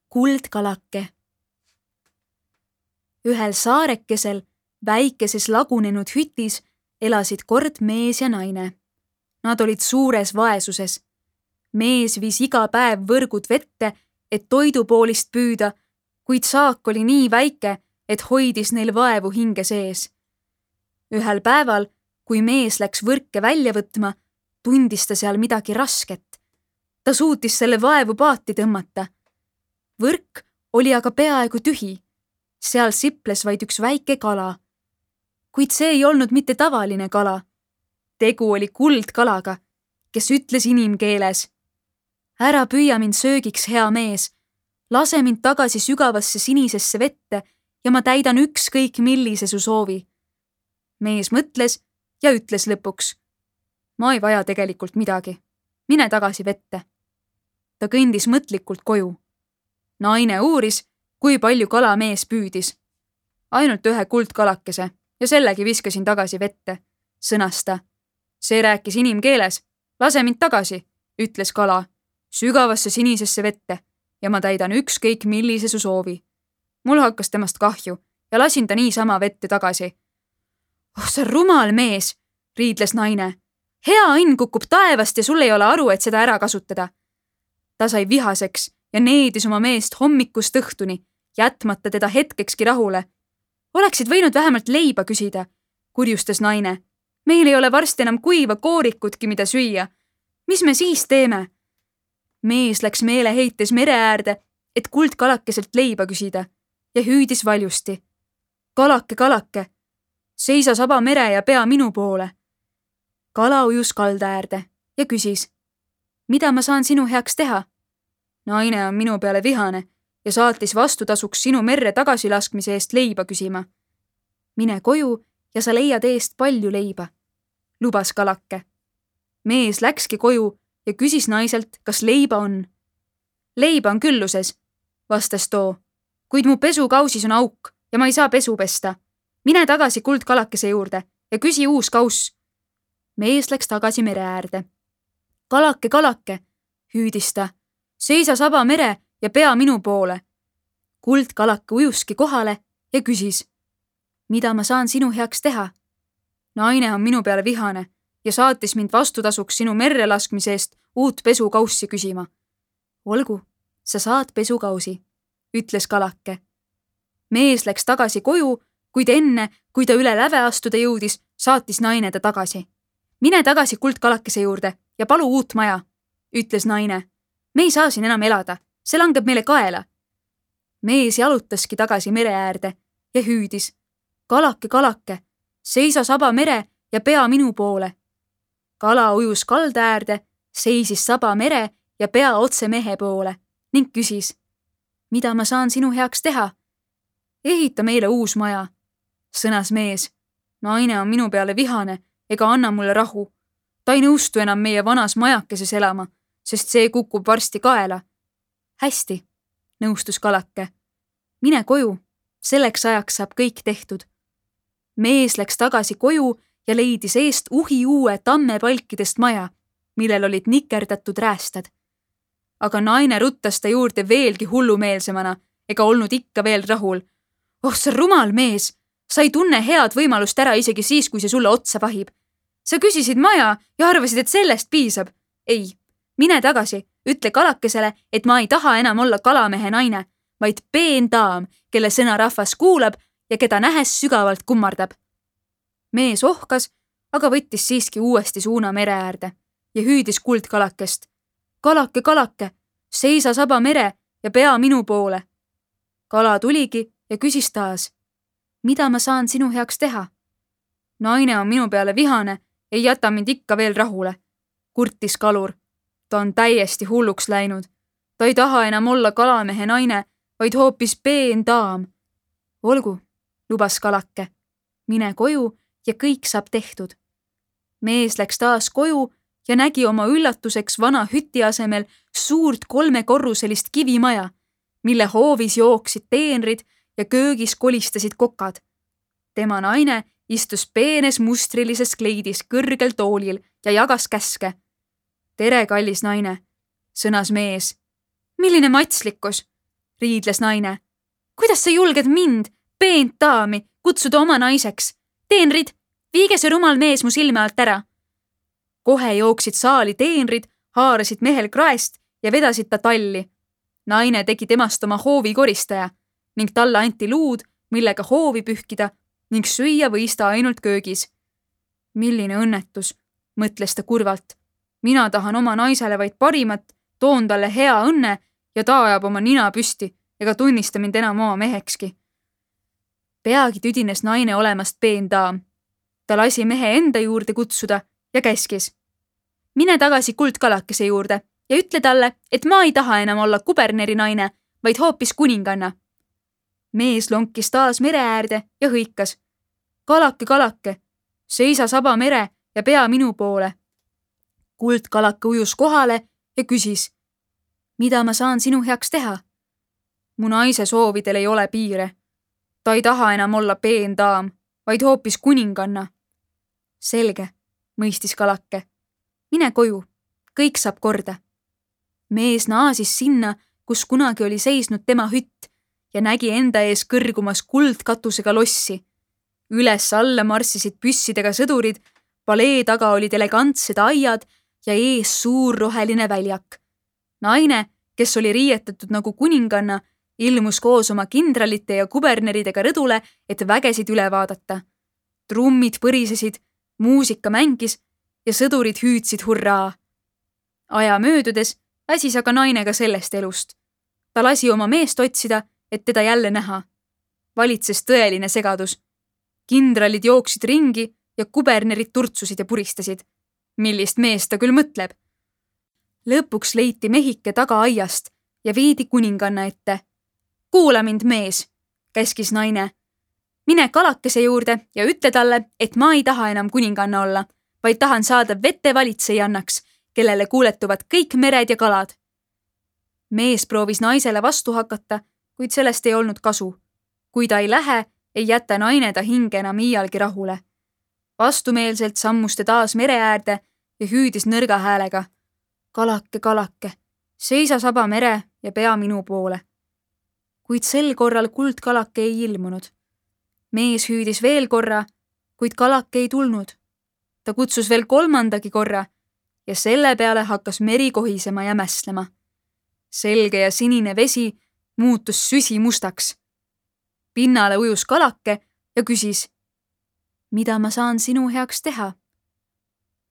kuldkalake. Ühel saarekesel väikeses lagunenud hütis elasid kord mees ja naine. Nad olid suures vaesuses. Mees viis iga päev võrgud vette, et toidupoolist püüda, kuid saak oli nii väike, et hoidis neil vaevu hinge sees. Ühel päeval, kui mees läks võrke välja võtma, tundis ta seal midagi rasket. Ta suutis selle vaevu paati tõmmata. Võrk oli aga peaaegu tühi. Seal siples vaid üks väike kala. Kuid see ei olnud mitte tavaline kala. Tegu oli kuldkalaga, kes ütles inimkeeles: ära püüa mind söögiks, hea mees. Lase mind tagasi sügavasse sinisesse vette ja ma täidan ükskõik millise su soovi. Mees mõtles ja ütles lõpuks: ma ei vaja tegelikult midagi. Mine tagasi vette. Ta kõndis mõtlikult koju. Naine uuris, kui palju kala mees püüdis. Ainult ühe kuldkalakese ja sellegi viskasin tagasi vette, sõnas ta. See rääkis inimkeeles. Lase mind tagasi, ütles kala, sügavasse sinisesse vette ja ma täidan ükskõik millise su soovi. Mul hakkas temast kahju ja lasin ta niisama vette tagasi. Oh, sa rumal mees, riidles naine. Hea õnn kukub taevast ja sul ei ole aru, et seda ära kasutada. Ta sai vihaseks ja needis oma meest hommikust õhtuni, jätmata teda hetkekski rahule. Oleksid võinud vähemalt leiba küsida, kurjustas naine. Meil ei ole varsti enam kuiva koorikutki, mida süüa. Mis me siis teeme? Mees läks meeleheites mere äärde, et kuldkalakeselt leiba küsida ja hüüdis valjusti. Kalake, kalake, seisa saba mere ja pea minu poole. Kala ujus kalda äärde ja küsis: mida ma saan sinu heaks teha? Naine on minu peale vihane ja saatis vastutasuks sinu merre tagasilaskmise eest leiba küsima. Mine koju ja sa leiad eest palju leiba, lubas kalake. Mees läkski koju ja küsis naiselt, kas leiba on. Leiba on külluses, vastas too, kuid mu pesukausis on auk ja ma ei saa pesu pesta. Mine tagasi kuldkalakese juurde ja küsi uus kauss. Mees läks tagasi mere äärde. Kalake, kalake, hüüdis ta, seisa saba mere ja pea minu poole. Kuldkalake ujuski kohale ja küsis: mida ma saan sinu heaks teha? Naine on minu peale vihane ja saatis mind vastutasuks sinu merre laskmise eest uut pesukaussi küsima. Olgu, sa saad pesukausi, ütles kalake. Mees läks tagasi koju, kuid enne, kui ta üle läve astuda jõudis, saatis naine ta tagasi. Mine tagasi kuldkalakese juurde ja palu uut maja, ütles naine. Me ei saa siin enam elada, see langeb meile kaela. Mees jalutaski tagasi mere äärde ja hüüdis: kalake, kalake, seisa saba mere ja pea minu poole. Kala ujus kalda äärde, seisis saba mere ja pea otse mehe poole ning küsis: mida ma saan sinu heaks teha? Ehita meile uus maja, sõnas mees. Naine on minu peale vihane ega anna mulle rahu. Ta ei nõustu enam meie vanas majakeses elama, sest see kukub varsti kaela. Hästi, nõustus kalake. Mine koju, selleks ajaks saab kõik tehtud. Mees läks tagasi koju ja leidis eest uue tammepalkidest maja, millel olid nikerdatud räästad. Aga naine ruttas ta juurde veelgi hullumeelsemana ega olnud ikka veel rahul. Oh, sa rumal mees, sa ei tunne head võimalust ära isegi siis, kui see sulle otsa vahib. Sa küsisid maja ja arvasid, et sellest piisab. Ei, mine tagasi, ütle kalakesele, et ma ei taha enam olla kalamehe naine, vaid peen daam, kelle sõna rahvas kuulab ja keda nähes sügavalt kummardab. Mees ohkas, aga võttis siiski uuesti suuna mere äärde ja hüüdis kuldkalakest: kalake, kalake, seisa saba mere ja pea minu poole. Kala tuligi ja küsis taas: mida ma saan sinu heaks teha? Naine on minu peale vihane, ei jäta mind ikka veel rahule, kurtis kalur. Ta on täiesti hulluks läinud. Ta ei taha enam olla kalamehe naine, vaid hoopis peen daam. Olgu, lubas kalake. Mine koju ja kõik saab tehtud. Mees läks taas koju ja nägi oma üllatuseks vana hüti asemel suurt 3-korruselist kivimaja, mille hoovis jooksid teenrid ja köögis kolistasid kokad. Tema naine istus peenes mustrilises kleidis kõrgel toolil ja jagas käske. Tere, kallis naine, sõnas mees. Milline matslikkus! riidles naine. Kuidas sa julged mind, peent daami, kutsuda oma naiseks? Teenrid, viige see rumal mees mu silme alt ära. Kohe jooksid saali teenrid, haarasid mehel kraest ja vedasid ta talli. Naine tegi temast oma hoovi koristaja ning talle anti luud, millega hoovi pühkida ning süüa võis ta ainult köögis. Milline õnnetus, mõtles ta kurvalt. Mina tahan oma naisele vaid parimat, toon talle hea õnne ja ta ajab oma nina püsti ega tunnista mind enam oma mehekski. Peagi tüdines naine olemast peen daam. Ta lasi mehe enda juurde kutsuda ja käskis. Mine tagasi kuldkalakese juurde ja ütle talle, et ma ei taha enam olla kuberneri naine, vaid hoopis kuninganna. Mees lonkis taas mere äärde ja hõikas. Kalake, kalake, seisa saba mere ja pea minu poole. Kuldkalake ujus kohale ja küsis. Mida ma saan sinu heaks teha? Mu naise soovidel ei ole piire. Ta ei taha enam olla peen daam, vaid hoopis kuninganna. Selge, mõistis kalake. Mine koju, kõik saab korda. Mees naasis sinna, kus kunagi oli seisnud tema hütt ja nägi enda ees kõrgumas kuldkatusega lossi. Üles-alla marssisid püssidega sõdurid, palee taga olid elegantsed aiad ja ees suur roheline väljak. Naine, kes oli riietatud nagu kuninganna, ilmus koos oma kindralite ja kuberneridega rõdule, et vägesid üle vaadata. Trummid põrisesid, muusika mängis ja sõdurid hüüdsid hurraa. Aja möödudes väsis aga naine ka sellest elust. Ta lasi oma meest otsida, et teda jälle näha. Valitses tõeline segadus. Kindralid jooksid ringi ja kubernerid turtsusid ja puristasid. Millist meest ta küll mõtleb? Lõpuks leiti mehike taga aiast ja viidi kuninganna ette. Kuula mind, mees, käskis naine. Mine kalakese juurde ja ütle talle, et ma ei taha enam kuninganna olla, vaid tahan saada vete valitsejannaks, kellele kuuletuvad kõik mered ja kalad. Mees proovis naisele vastu hakata, kuid sellest ei olnud kasu. Kui ta ei lähe, ei jäta naine ta hinge enam iialgi rahule. Vastumeelselt sammus ta taas mere äärde ja hüüdis nõrga häälega. Kalake, kalake, seisa saba mere ja pea minu poole. Kuid sel korral kuldkalake ei ilmunud. Mees hüüdis veel korra, kuid kalake ei tulnud. Ta kutsus veel kolmandagi korra ja selle peale hakkas meri kohisema ja mässlema. Selge ja sinine vesi muutus süsimustaks. Pinnale ujus kalake ja küsis. Mida ma saan sinu heaks teha?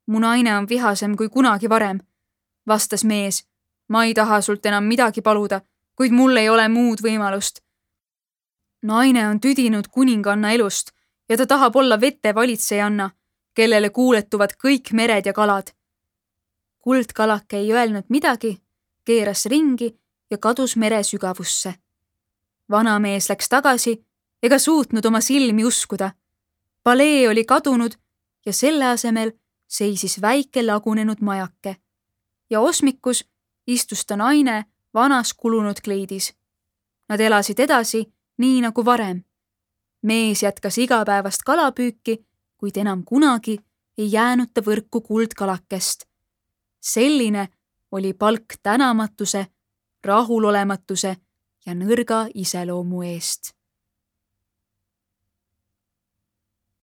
Mu naine on vihasem kui kunagi varem, vastas mees. Ma ei taha sult enam midagi paluda, kuid mul ei ole muud võimalust. Naine on tüdinud kuninganna elust ja ta tahab olla vete valitsejanna, kellele kuuletuvad kõik mered ja kalad. Kuldkalake ei öelnud midagi, keeras ringi ja kadus mere sügavusse. Vanamees läks tagasi ega suutnud oma silmi uskuda. Palee oli kadunud ja selle asemel seisis väike lagunenud majake. Ja osmikus istus ta naine vanas kulunud kleidis. Nad elasid edasi nii nagu varem. Mees jätkas igapäevast kalapüüki, kuid enam kunagi ei jäänud ta võrku kuldkalakest. Selline oli palk tänamatuse, rahulolematuse ja nõrga iseloomu eest.